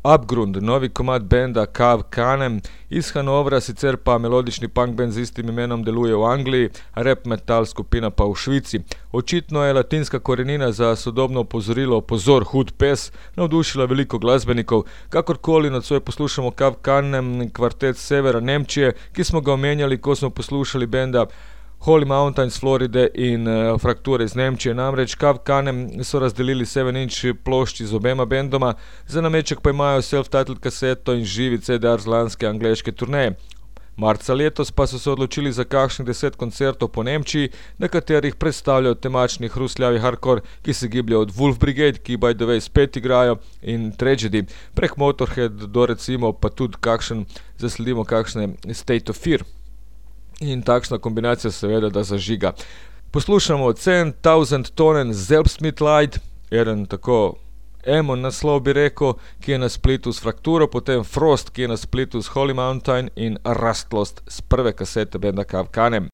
Abgrund, novi komad benda Kav Kanem iz Hanovra, sicer pa melodični punk band z istim imenom deluje v Angliji, rap metal skupina pa v Švici. Očitno je latinska korenina za sodobno opozorilo pozor, hud pes, navdušila veliko glasbenikov. Kakorkoli nocoj poslušamo Kav Kanem, kvartet s severa Nemčije, ki smo ga omenjali, ko smo poslušali benda Holy Mountain iz Floride in Frakture iz Nemčije. Namreč Kav Kanem so razdelili 7-inch plošči z obema bendoma, za nameček pa imajo self-titled kaseto in živi CDR z lanske angleške turneje. Marca letos pa so se odločili za kakšnih 10 koncertov po Nemčiji, na katerih predstavljajo temačni hrustljavi hardcore, ki se gibljajo od Wolf Brigade, ki by the way spet igrajo, in Tragedy, prek Motorhead do recimo pa tudi zasledimo kakšne State of Fear. In takšna kombinacija seveda da zažiga. Poslušamo 10,000 Tonen Selbstmitleid, eden tako emo naslov bi rekel, ki je na splitu s Frakturo, potem Frost, ki je na splitu s Holy Mountain in Rustlost z prve kasete benda Kav Kanem.